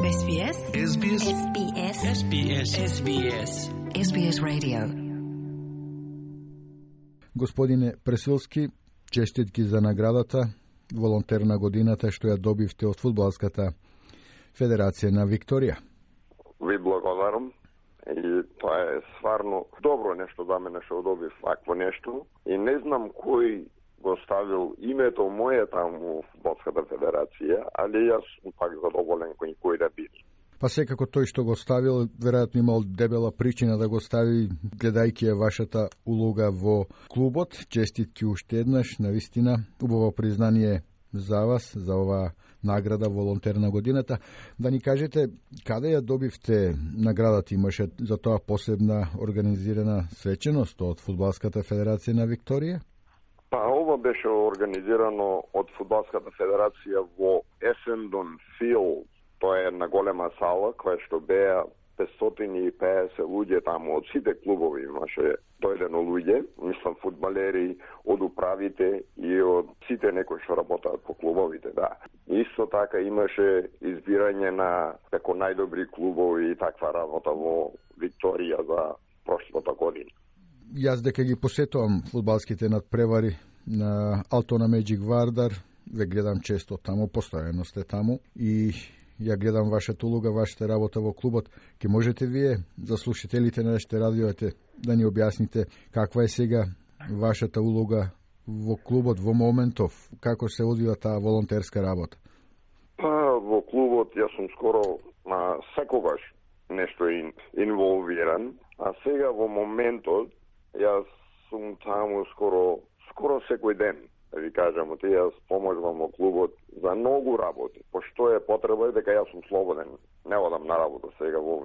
SBS. SBS. SBS. SBS. SBS. SBS Radio. Господине Пресилски, честитки за наградата волонтер на годината што ја добивте од Фудбалската федерација на Викторија. Ви благодарам. И тоа е стварно добро нешто за мене што добив вакво нешто. И не знам кој го ставил името моје таму в Фудбалската федерација, али јас сум пак задоволен кој да биде. Па секако тој што го ставил, веројатно имал дебела причина да го стави, гледајќи ја вашата улога во клубот. Честитки уште еднаш, навистина, убаво признание за вас, за оваа награда волонтер на годината. Да ни кажете, каде ја добивте наградата? Имаше за тоа посебна организирана свеченост од Фудбалската федерација на Викторија? Па ова беше организирано од Фудбалската федерација во Есендон Филд. Тоа е една голема сала која што беа 550 луѓе таму, од сите клубови имаше дојдено луѓе, мислам фудбалери, од управите и од сите некои што работаат по клубовите, да. Исто така имаше избирање на како најдобри клубови и таква работа во Викторија за прошлата година. Јас дека ги посетувам фудбалските надпревари на Алтона Меджик Вардар, ве гледам често таму, постојано сте таму и ја гледам вашата улога, вашата работа во клубот. Ке можете вие, за слушателите на нашите радиоите, да ни објасните каква е сега вашата улога во клубот во моментов, како се одвива таа волонтерска работа? Па, во клубот јас сум скоро секогаш нешто инволвиран, а сега во моментот јас сум таму скоро секој ден. Да ви кажам, јас поможувам во клубот за многу работи, пошто е потреба дека јас сум слободен. Не одам на работа сега во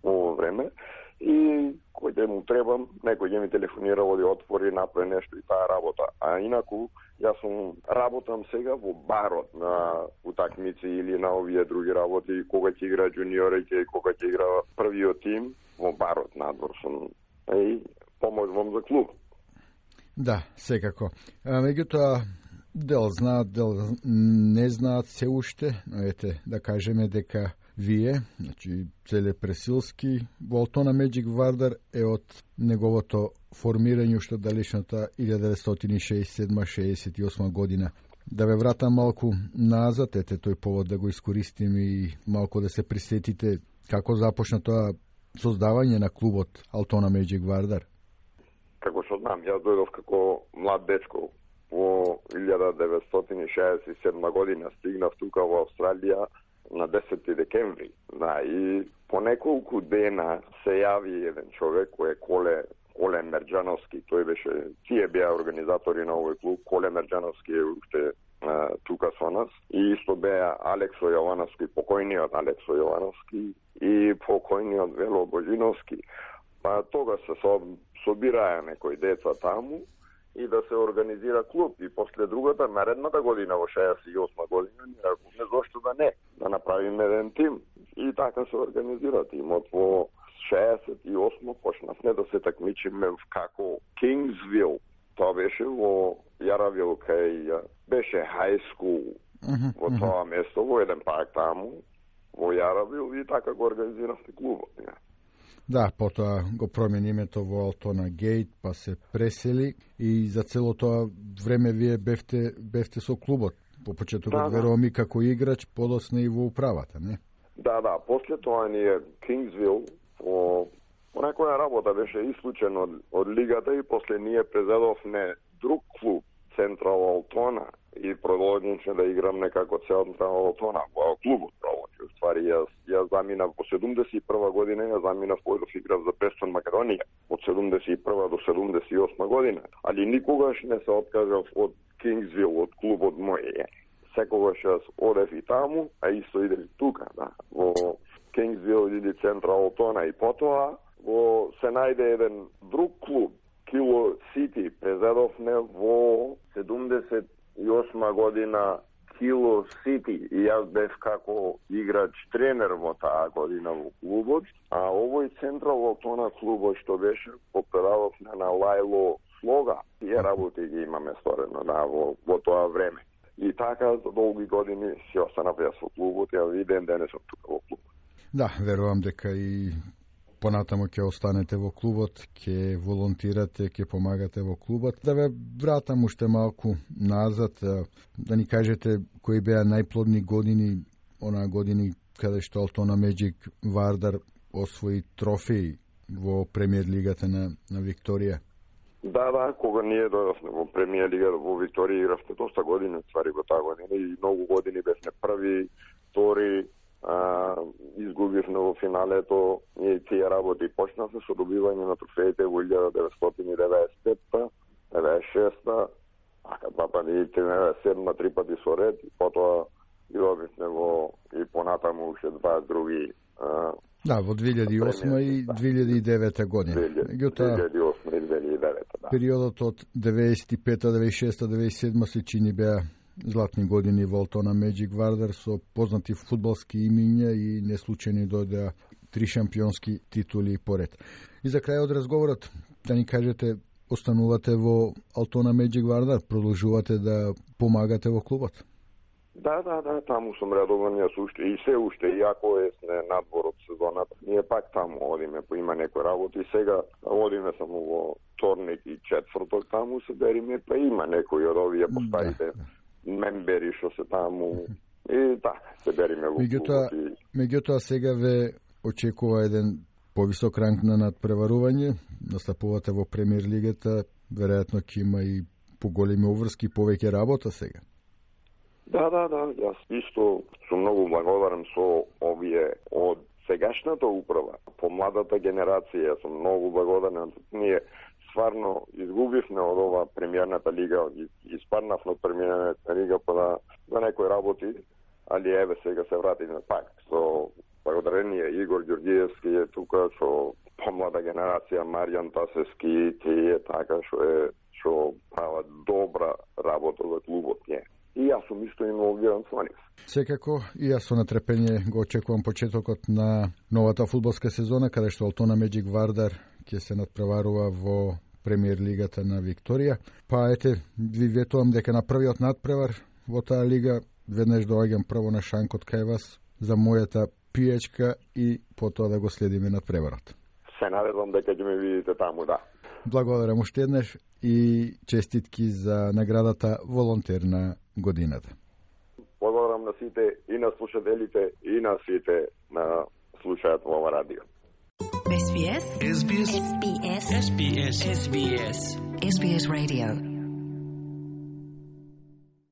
ово време и кој ден му требам, некој ќе ми телефонира, оди отвори, направи нешто и таа работа. А инаку јас работам сега во барот на утакмици или на овие други работи, кога ќе игра джуниорите и кога ќе игра првиот тим, во барот надвор сум и поможувам за клуб. Да, секако. Меѓутоа, дел знаат, дел не знаат се уште, но ете, да кажеме дека вие, значи Целе Пресилски, во Алтона Меджик Вардар е од неговото формирање уште далечната 1967-68 година. Да ве вратам малку назад, ете тој повод да го искористим и малку да се присетите како започна тоа создавање на клубот Алтона Меджик Вардар. Како што знам, јас дојдов како млад дечко во 1967 година, стигнав тука во Австралија на 10 декември. Да, и по неколку дена се јави еден човек кој е Коле Мерџановски, тој беше, тие беа организатори на овој клуб, Коле Мерџановски е уште тука со нас, и исто беа Алексо Јовановски, покојниот Алексо Јовановски и покојниот Вело Божиновски. Па тога се собираа некои деца таму и да се организира клуб. И после другата, наредната година, во 68 година, ни рекувме зошто да не, да направиме еден тим. И така се организира тимот. Во 68 почнавме да се такмичиме како Кингсвил. Тоа беше во Јаравил, кај беше high school во тоа место, во еден парк таму, во Јаравил, и така го организиравме клубот. Да, потоа го промени името во Алтона Гейт, па се пресели и за цело тоа време вие бевте со клубот. По почетокот верувам и како играч, подосна и во управата, не? Да, после тоа ние Кингсвил по некоја работа беше исклучен од лигата и после ние презедовме друг клуб, Централ Алтона, и продолживме да играм некако Централ Алтона во клубот продолжи. Ствари јас заминав во 71 година, јас заминав појдов играв за Престон Македонија од 71 до 78 година, али никогаш не се откажав од Кингсвил, од клубот мој. Секогаш јас одев и таму, а исто идев и тука, да, во Кингсвил или Централ Алтона, и потоа се најде еден друг клуб, Кило Сити, презедовме во 78 година Кило Сити, и јас бев како играч тренер во таа година во клубот, а овој Централ Алтона клубот што беше, попредавовме на Лајло Слога. Тие работи ги имаме сторено во тоа време. И така за долги години си останав јас во клубот, ја виден денес сум тука во клубот. Да, верувам дека и понатамо ќе останете во клубот, ќе волонтирате, ќе помагате во клубот. Да ве вратам уште малку назад, да ни кажете кои беа најплодни години, онаа години каде што Алтона Меджик Вардар освои трофеи во премиер лигата на Викторија. Да, кога ние дојдовме во премиер лига во Викторија игравте доста години, ствари во таа година и многу години бевме први, втори, изгубивме во финалето, и тие работи почнавме со добивање на трофеите во 1995-та, 96-та, два пати 97-та, три пати со ред, и потоа ги добивме во и понатаму уште два други. Да, во 2008 и 2009 година. 2008 и 2009, да. Периодот од 95-та, 96-та, 97-та се чини беа златни години во Алтона Меджик Вардар со познати фудбалски имиња и неслучајно дојдеа 3 шампионски титули поред. И за крај од разговорот, да ни кажете, останувате во Алтона Меджик Вардар, продолжувате да помагате во клубот? Да, таму сум редовен, јас уште и се уште, иако е надвор од сезоната. Ние пак таму одиме, по има некои работи. Сега одиме само во вторник и четврток, таму се бериме, па има некои од овие постарите мембери што се таму. И се бериме во клубот. Меѓутоа сега ве очекува еден повисок ранг на надпреварување, настапувате во премиер лигата, веројатно ќе има и поголеми обврски, повеќе работа сега. Да, јас исто сум многу благодарен со овие од сегашната управа, по младата генерација, сум многу благодарен. Ние стварно изгубивме од ова премиерната лига, испаднавме од премиерната лига за некои работи, али еве сега се вратиме пак. Со благодарение Игор Ѓорѓиевски е тука, со помлада генерација, Маријан Тасевски, тие така што прават добра работа за клубот ние. И јас сум исто инволвиран со нив. Секако, и јас со нетрпение го очекувам почетокот на новата фудбалска сезона, каде што Алтона Меджик Вардар ќе се надпреварува во премиер лигата на Викторија. Па ете, ви ветувам дека на првиот надпревар во таа лига веднаш доаѓам прво на шанкот кај вас за мојата пијачка и потоа да го следиме надпреварот. Се надевам дека ќе ме видите таму, да. Благодарам уште еднаш и честитки за наградата волонтер на годината. Благодарам на сите и на слушателите и на сите на слушаат ова радио. SBS Radio